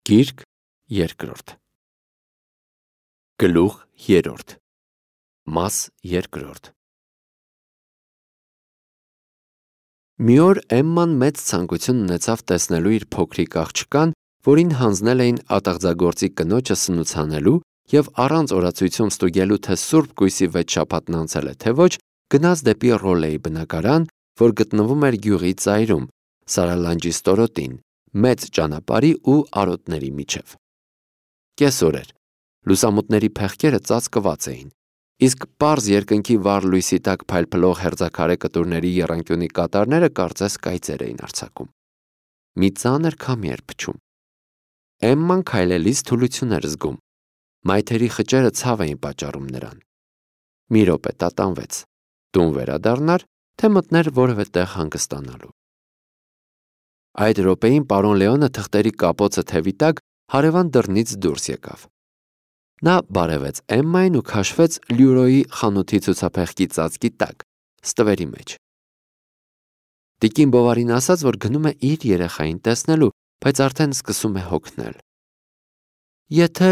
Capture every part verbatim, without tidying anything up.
Գիրք երկրորդ Գլուխ երրորդ Մաս երկրորդ Մի օր Էմման մեծ ցանկություն ունեցավ տեսնելու իր փոքրիկ աղջկան, որին հանձնել էին ատաղձագործի կնոջը սնուցանելու և առանց օրացույցում ստուգելու, թե Սուրբ Կույսի վեց շաբաթն անցել է թե ոչ, գնաց դեպի Ռոլեի բնակարան, որ գտնվում էր գյուղի ծայրում, Սարալանջի ստորոտին, մեծ ճանապարհի ու արոտների միջև։ Կեսօր էր, լուսամուտների փեղկերը ծածկված էին, իսկ պարզ երկնքի վառ լույսի տակ փայլփլող հերձաքարե կտուրների եռանկյունի կատարները կարծես կայծեր էին արձակում։ Մի ծանր քամի էր փչում։ Էմման քայլելիս թուլություն էր զգում, մայթերի խճերը ցավ էին պատճառում նրան։ Մի րոպե տատանվեց, տուն վերադառնար, թե մտներ որևէ տեղ հանգստանալու։ Այդ րոպեին պարոն Լեոնը թղթերի կապոցը թևի տակ հարևան դռնից դուրս եկավ։ Նա բարևեց Էմմային ու քաշվեց Լյուրոյի խանութի ցուցափեղկի ծածկի տակ, ստվերի մեջ։ Տիկին Բովարին ասաց, որ գնում է իր երեխային տեսնելու, բայց արդեն սկսում է հոգնել։ Եթե,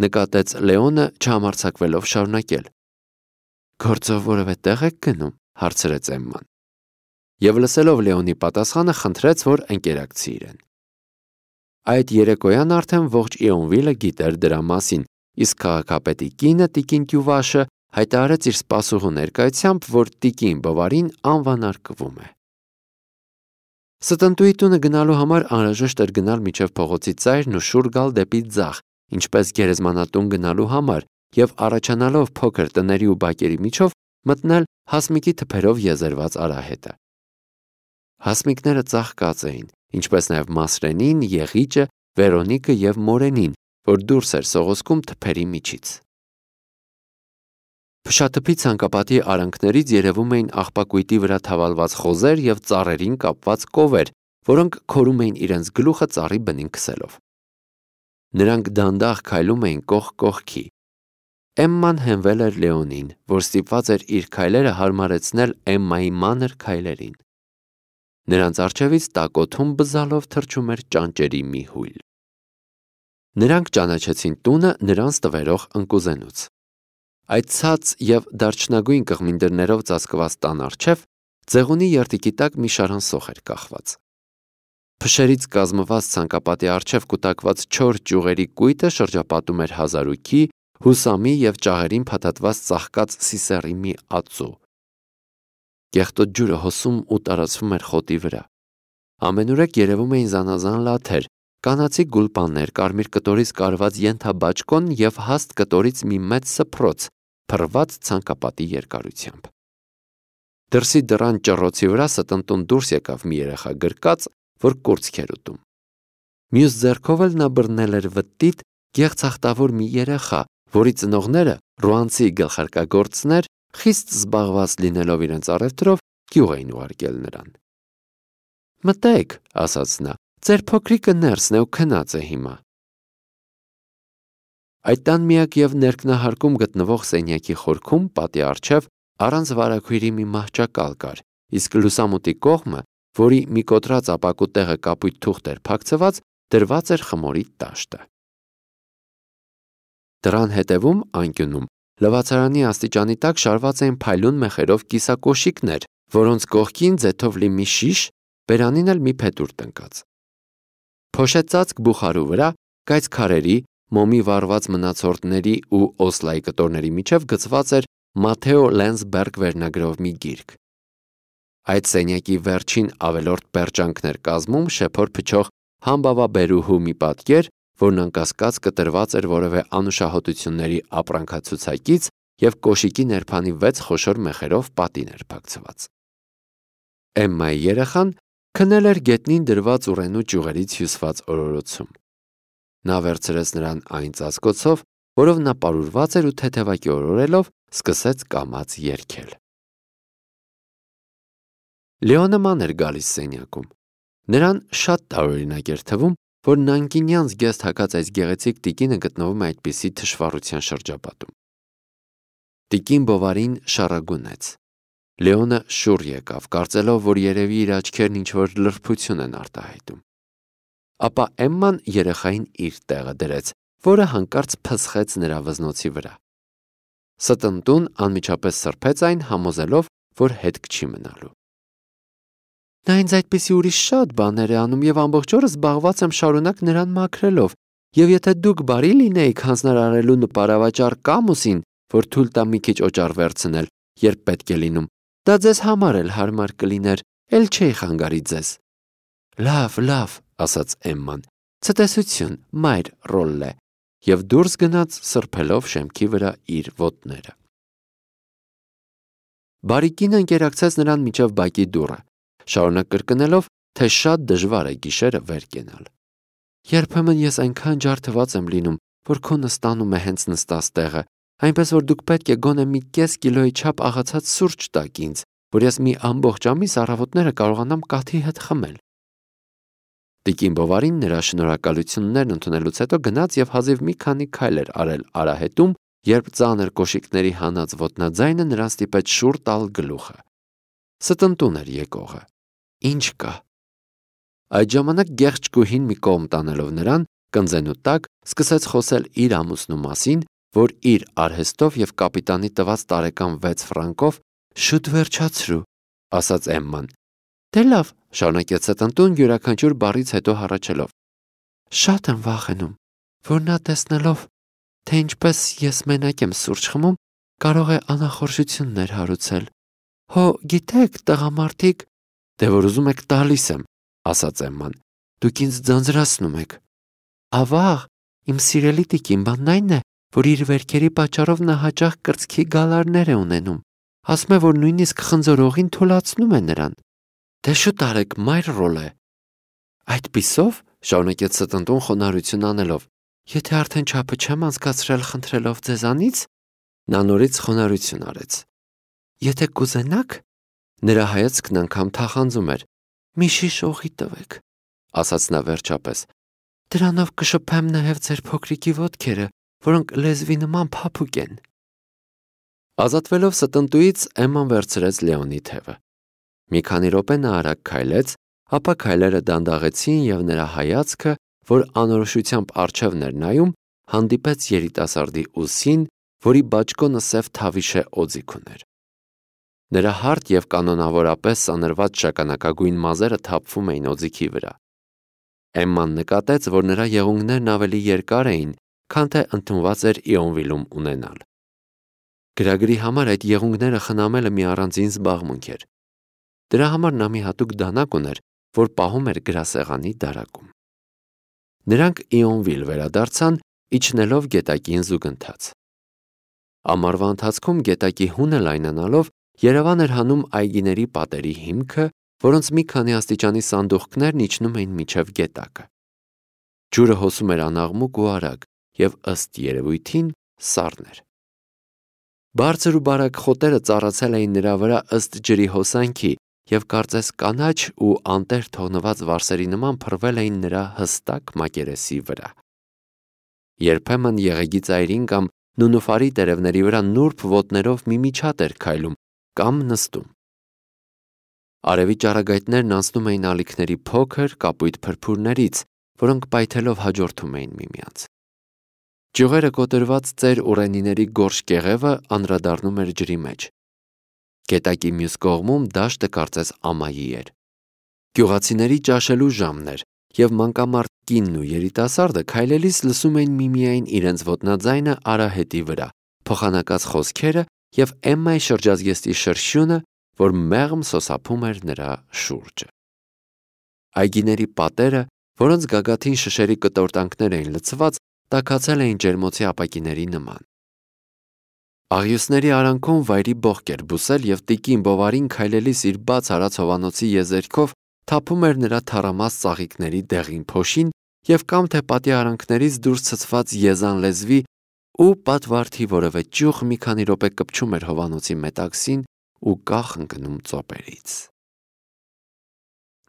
նկատեց Լեոնը, չհամարձակվելով շարունակել։ Գործով որևէ տեղ եք գնում, հարցրեց Էմման։ Եվ լսելով Լեոնի պատասխանը, խնդրեց, որ ընկերակցի իրեն։ Այդ երեկոյան արդեն ողջ Իոնվիլը գիտեր դրա մասին, իսկ քաղաքապետի կինը տիկին Կյուվաշը հայտարարեց իր սպասուհու ներկայությամբ, որ տիկին Բովարին անվանարկվում է։ Ստնտուի տունը գնալու համար անհրաժեշտ էր գնալ մինչև փողոցի ծայրն ու շուռ գալ դեպի ձախ, ինչպես գերեզմանատուն գնալու համար, և առաջանալով փոքր տների ու բակերի միջով մտնել հասմիկի թփերով եզերված արահետը։ Հասմիկները ծաղկած էին, ինչպես նաև Մասրենին, Եղիճը, Վերոնիկը և Մորենին, որ դուրս էր սողոսկում թփերի միջից։ Փշաթփի ցանկապատի արանքներից երևում էին աղբակույտի վրա թավալված խոզեր և ծառերին կապված կովեր, որոնք քորում էին իրենց գլուխը ծառի բնին քսելով։ Նրանք դանդաղ քայլում էին կողք կողքի։ Էմման հենվել էր Լեոնին, որ ստիպված էր իր քայլերը հարմարեցնել Էմմայի մանր քայլերին։ Նրանց առջևից տակոթում բզալով թռչում էր ճանճերի մի հույլ։ Նրանք ճանաչեցին տունը նրանց տվերող ընկուզենուց։ Այդ ցած և դարչնագույն կղմինդրներով ծածկված տան առջև ձեղունի երդիկի տակ մի շարան սոխ էր կախված։ Փշերից կազմված ցանկապատի առջև կուտակված չոր ճյուղերի կույտը շրջապատում էր հազարուկի, հուսամի և ճաղերին փաթաթված ծաղկած սիսեռի մի ածու։ Կեղտոտ ջուրը հոսում ու տարածվում էր խոտի վրա։ Ամենուրեք երևում էին զանազան լաթեր, կանացի գուլպաններ, կարմիր կտորից կարված ենթաբաճկոն և հաստ կտորից մի մեծ սփռոց, փռված ցանկապատի երկարությամբ։ Դրսի դռան ճռոցի վրա ստնտուն դուրս եկավ մի երեխա գրկած, որ կուրծք էր ուտում։ Մյուս ձեռքով էլ նա բռնել էր վտտիտ գեղցախտավոր մի երեխա, որի ծնողները, ռուանցի գլխարկագործներ, խիստ զբաղված լինելով իրենց առևտրով, գյուղ էին ուղարկել նրան։ Մտեք, ասաց նա, ձեր փոքրիկը ներսն է ու քնած է հիմա։ Այդ տան միակ և ներքնահարկում գտնվող սենյակի խորքում պատի առջև առանց վարագույրի մի մահճակալ կար, իսկ լուսամուտի կողմը, որի մի կոտրած ապակու տեղը կապույտ թուղթ էր փակցված, դրված էր խմորի տաշտը։ Դռան հետևում, անկյունում, լվացարանի աստիճանի տակ շարված էին փայլուն մեխերով կիսակոշիկներ, որոնց կողքին ձեթով լի մի շիշ, բերանին էլ մի փետուր տնկած։ Փոշեցածկ բուխարու վրա, կայծ քարերի, մոմի վառված մնացորդների ու օսլայի կտորների միջև գծված էր Մաթեո Լենսբերգ վերնագրով մի գիրք։ Այդ սենյակի վերջին ավելորդ պերճանքն էր կազմում շեփոր փչող համբավաբերուհու մի պատկեր, որն անկասկած կտրված էր որևէ անուշահոտությունների ապրանքացուցակից և կոշիկի ներփանի վեց խոշոր մեխերով պատին էր փակցված։ Էմմայի երեխան քնել էր գետնին դրված ուռենու ճյուղերից հյուսված օրորոցում։ Նա վերցրեց նրան այն ծածկոցով, որով նա պարուրված էր ու թեթևակի օրորելով սկսեց կամաց երգել։ Լեոնը ման էր գալիս սենյակում։ Նրան շատ տարօրինակ էր թվում, որ նանկինյան զգեստ հագած այս գեղեցիկ տիկինը գտնվում է այդպիսի թշվառության շրջապատում։ Տիկին Բովարին շառագունեց։ Լեոնը շուռ եկավ, կարծելով, որ երևի իր աչքերն ինչ-որ լրբություն են արտահայտում։ ապա Էմման երեխային իր տեղը դրեց, որը հանկարծ փսխեց նրա վզնոցի վրա։ Ստնտուն անմիջապես սրբեց այն, համոզելով, որ հետք չի մնալու։ Նա ինձ այդպիսի ուրիշ շատ բաներ է անում եւ ամբողջ օրը զբաղված եմ շարունակ նրան մաքրելով, եւ եթե դուք բարի լինեիք հանձնարարելու նպարավաճառ Կամուսին, որ թույլ տա մի քիչ օճառ վերցնել, երբ պետք է լինում, դա ձեզ համար էլ հարմար կլիներ, էլ չէի խանգարի ձեզ։ Լավ, լավ, ասաց Էմման, ցտեսություն, մայր Ռոլլե, եւ դուրս գնաց սրբելով շեմքի վրա իր ոտները։ Բարիկին ընկերակցեց նրան միջև բակի դուռը, շարունակ կրկնելով, թե շատ դժվար է գիշերը վեր կենալ։ Երբեմն ես այնքան ջարդված եմ լինում, որ քո նստանում է հենց նստած տեղը, այնպես որ դուք պետք է գոնե մի կես կիլոյի չափ աղացած սուրճ տաք ինձ, որ ես մի ամբողջ ամիս առավոտները կարողանամ կաթի հետ խմել։ Տիկին Բովարին նրա շնորհակալություններն ընդունելուց հետո գնաց եւ հազիվ մի քանի քայլ էր արել արահետում, երբ ծանր կոշիկների հանած ոտնաձայնը նրան ստիպեց շուռ տալ գլուխը։ Ստնտուն էր եկողը։ Ինչ կա։ Այդ ժամանակ գեղեցկուհին մի կողմ տանելով նրան, կնձենու տակ սկսեց խոսել իր ամուսնու մասին, որ իր արհեստով եւ կապիտանի տված տարեկան վեց ֆրանկով շուտ վերջացրու, ասաց Էմման։ Դե լավ, շարունակեց Ստնտուն յուրաքանչյուր բառից հետո հառաչելով։ Շատ եմ վախենում, որ նա տեսնելով, թե ինչպես ես մենակ եմ սուրճ խմում, կարող է անախորժություններ հարուցել։ Հո, գիտեք, տղամարդիկ, դե որ ուզում եք տալիս եմ, ասաց Էմման, դուք ինձ ձանձրացնում եք։ Ավաղ, իմ սիրելի տիկին, բանն այն է, որ իր վերքերի պատճառով նա հաճախ կրծքի գալարներ է ունենում, ասում է, որ նույնիսկ խնձորողին թուլացնում է նրան։ Դե շուտ արեք, մայր Ռոլլե։ Այդպիսով, շարունակեց Ստնտուն խոնարհություն անելով, եթե արդեն չափը չեմ անցկացրել խնդրելով ձեզանից, նա նորից խոնարհություն արեց։ Եթե կուզենաք, նրա հայացքն անգամ թախանձում էր, մի շիշ օղի տվեք, ասաց նա վերջապես, դրանով կշփեմ նաև ձեր փոքրիկի ոտքերը, որոնք լեզվի նման փափուկ են։ Ազատվելով Ստնտուից Էմման վերցրեց Լեոնի թևը։ Մի քանի րոպե նա արագ քայլեց, ապա քայլերը դանդաղեցին եւ նրա հայացքը, որ անորոշությամբ առջևն էր նայում, հանդիպեց երիտասարդի ուսին, որի բաճկոնը սև թավիշե օձիք ուներ։ Նրա հարթ եւ կանոնավորապես սանրված շագանակագույն մազերը թափվում էին օձիքի վրա։ Էմման նկատեց, որ նրա եղունգներն ավելի երկար էին, քան թե ընդունված էր Իոնվիլում ունենալ։ Գրագրի համար այդ եղունգները խնամելը մի առանձին զբաղմունք էր։ Դրա համար նա մի հատուկ դանակ ուներ, որ պահում էր գրասեղանի դարակում։ Նրանք Իոնվիլ վերադարձան, իջնելով գետակին զուգընթաց։ Ամառվա ընթացքում գետակի հունը լայնանալով Երևան էր հանում այգիների պատերի հիմքը, որոնց մի քանի աստիճանի սանդուղքներն իջնում էին մինչև գետակը։ Ջուրը հոսում էր անաղմուկ ու արագ եւ ըստ երևույթին սառն էր։ Բարձր ու բարակ խոտերը ծառացել էին նրա վրա ըստ ջրի հոսանքի եւ կարծես կանաչ ու անտեր թողնված վարսերի նման փռվել էին նրա հստակ մակերեսի վրա։ Երբեմն եղեգի ծայրին կամ նունուֆարի տերևների վրա նուրբ ոտներով մի միջատ էր քայլում կամ նստում։ Արևի ճառագայթներն անցնում էին ալիքների փոքր կապույտ փրփուրներից, որոնք պայթելով հաջորդում էին միմյանց։ Ճյուղերը կոտրված ծեր ուռենիների գորշ կեղևը անդրադառնում էր ջրի մեջ։ Գետակի մյուս կողմում դաշտը կարծես ամայի էր։ Գյուղացիների ճաշելու ժամն էր, եւ մանկամարդ կինն ու երիտասարդը քայլելիս լսում էին միմիայն իրենց ոտնաձայնը արահետի վրա, փոխանակած խոսքերը եւ Էմմայի շրջազգեստի շրշյունը, որ մեղմ սոսափում էր նրա շուրջը։ Այգիների պատերը, որոնց գագաթին շշերի կտորտանքներ էին լցված, տաքացել էին ջերմոցի ապակիների նման։ Աղյուսների արանքում վայրի բողք էր բուսել եւ տիկին Բովարին քայլելիս իր բաց արած հովանոցի եզերքով թափում էր նրա թառամաս ծաղիկների դեղին փոշին եւ կամ թե պատի արանքներից դուրս ցցված եզան լեզվի ու պատվարդի որևէ ճյուղ մի քանի րոպե կպչում էր հովանոցի մետաքսին ու կախ ընկնում ծոպերից։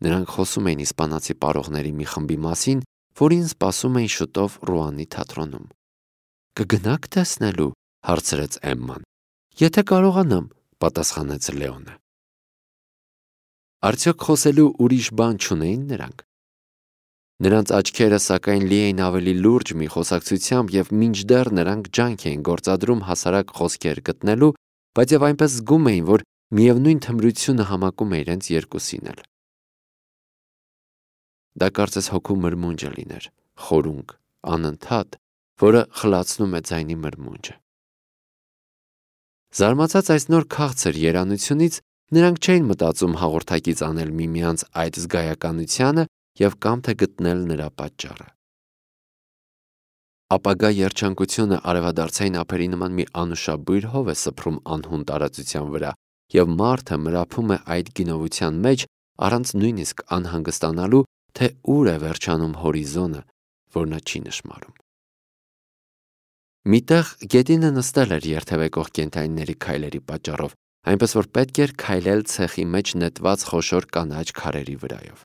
Նրանք խոսում էին իսպանացի պարողների մի խմբի մասին, որին սպասում էին շուտով Ռուանի թատրոնում։ Կգնաք տեսնելու, հարցրեց Էմման։ Եթե կարողանամ, պատասխանեց Լեոնը։ Արդյոք խոսելու ուրիշ բան չունեին նրանք։ Նրանց աչքերը սակայն լի էին ավելի լուրջ մի խոսակցությամբ և մինչդեռ նրանք ջանք էին գործադրում հասարակ խոսքեր գտնելու, բայց և այնպես զգում էին, որ միևնույն թմրությունը համակում է իրենց երկուսին էլ։ Դա կարծես հոգու մրմունջը լիներ, խորունկ, անընդհատ, որը խլացնում է ձայնի մրմունջը։ Զարմացած այս նոր քաղցր երանությունից նրանք չէին մտածում հաղորդակից անել միմյանց այդ զգայականությանը և կամ թե գտնել նրա պատճառը։ Ապագա երջանկությունը արևադարձային ափերի նման մի անուշաբույր հով է սփռում անհուն տարածության վրա, և մարդը մրափում է այդ գինովության մեջ առանց նույնիսկ անհանգստանալու, թե ուր է վերջանում հորիզոնը, որ նա չի նշմարում։ Միտեղ գետինը նստել էր երթևեկող կենդանիների քայլերի պատճառով, այնպես որ պետք էր քայլել ցեխի մեջ նետված խոշոր կանաչ քարերի վրայով։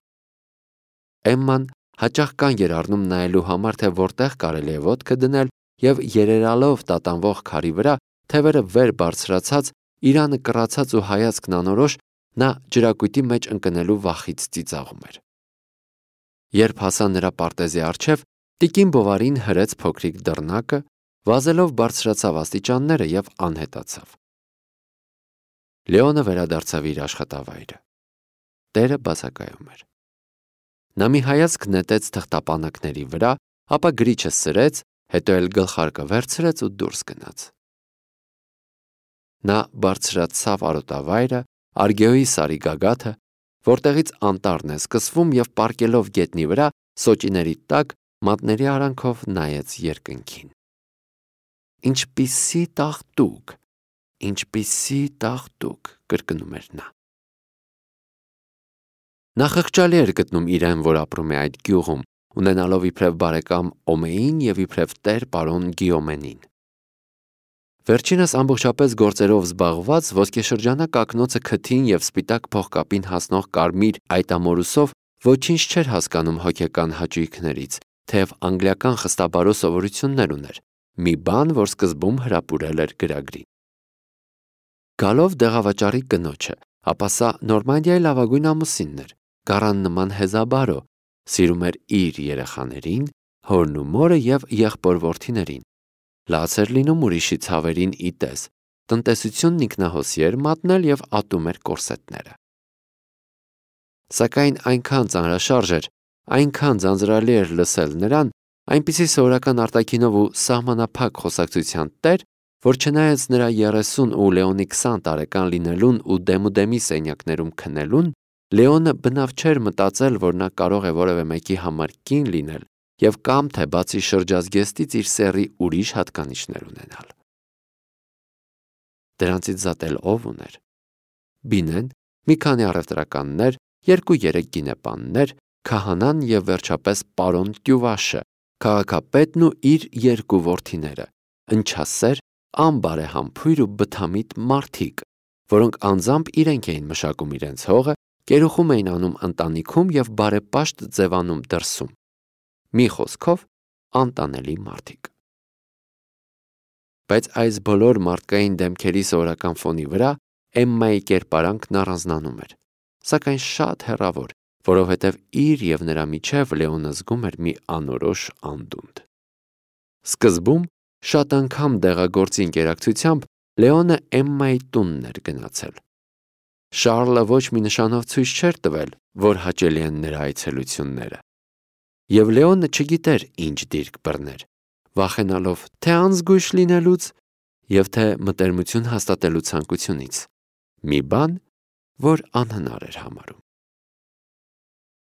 Էմման հաճախ կանգ էր առնում նայելու համար, թե որտեղ կարելի է ոտքը դնել, և երերալով տատանվող քարի վրա, թևերը վեր բարձրացած, իրանը կռացած ու հայացքն անորոշ, նա ջրակույտի մեջ ընկնելու վախից ծիծաղում էր։ Երբ հասա նրա պարտեզի առջև, տիկին Բովարին հրեց փոքրիկ դռնակը, վազելով բարձրացավ աստիճանները և անհետացավ։ Լեոնը վերադարձավ իր աշխատավայրը։ Տերը բացակայում էր։ Նա մի հայացք նետեց թղթապանակների վրա, ապա գրիչը սրեց, հետո էլ գլխարկը վերցրեց ու դուրս գնաց։ Նա բարձրացավ արոտավայրը, Արգեոյի սարի գագաթը, որտեղից անտառն է սկսվում, և պառկելով գետնի վրա, սոճիների տակ, մատների արանքով նայեց երկնքին։ Ինչպիսի տաղտուկ, ինչպիսի տաղտուկ, կրկնում էր նա։ Նա խղճալի էր գտնում իրեն, որ ապրում է այդ գյուղում, ունենալով իբրև բարեկամ Օմեին և իբրև տեր պարոն Գիոմենին։ Վերջինս ամբողջապես գործերով զբաղված, ոսկեշրջանակ ակնոցը քթին և սպիտակ փողկապին հասնող կարմիր այտամորուսով ոչինչ չէր հասկանում հոգեկան հաճույքներից, թեև անգլիական խստաբարո սովորություններ ուներ, մի բան, որ սկզբում հրապուրել էր գրագրին։ Գալով դեղավաճառի կնոջը, ապա սա Նորմանդիայի լավագույն ամուսինն էր, գառան նման հեզաբարո, սիրում էր իր երեխաներին, հորն ու մորը և եղբոր-որդիներին, լաց էր լինում ուրիշի ցավերին ի տես, տնտեսությունն ինքնահոսի էր մատնել և ատում էր կորսետները։ Սակայն այնքան ծանրաշարժ էր, այնքան ձանձրալի էր լսել նրան, այնպիսի սովորական արտաքինով ու սահմանափակ խոսակցության տեր, որ չնայած նրա երեսուն ու Լեոնի քսան տարեկան լինելուն ու դեմուդեմի սենյակներում քնելուն, Լեոնը բնավ չէր մտածել, որ նա կարող է որևէ մեկի համար կին լինել և կամ թե բացի շրջազգեստից իր սեռի ուրիշ հատկանիշներ ունենալ։ Դրանցից զատ էլ ով ուներ։ Բինեն, մի քանի առևտրականներ, երկու-երեք գինեպաններ, քահանան և վերջապես պարոն Տյուվաշը, քաղաքապետն ու իր երկու որդիները, ընչասեր, անբարեհամբույր ու բթամիտ մարդիկ, որոնք անձամբ իրենք էին մշակում իրենց հողը, կերուխում էին անում ընտանիքում և բարեպաշտ ձևանում դրսում։ Մի խոսքով, անտանելի մարդիկ։ Բայց այս բոլոր մարդկային դեմքերի սովորական ֆոնի վրա Էմմայի կերպարանքն առանձնանում էր, սակայն շատ հեռավոր, որովհետև իր և նրա միջև Լեոնը զգում էր մի անորոշ անդունդ։ Սկզբում շատ անգամ դեղագործի ընկերակցությամբ Լեոնը Էմմայի տունն էր գնացել։ Շառլը ոչ մի նշանով ցույց չէր տվել, որ հաճելի են նրա այցելությունները։ Եվ Լեոնը չգիտեր ինչ դիրք բռներ, վախենալով թե անզգույշ լինելուց և թե մտերմություն հաստատելու ցանկությունից, մի բան, որ անհնար էր համարում։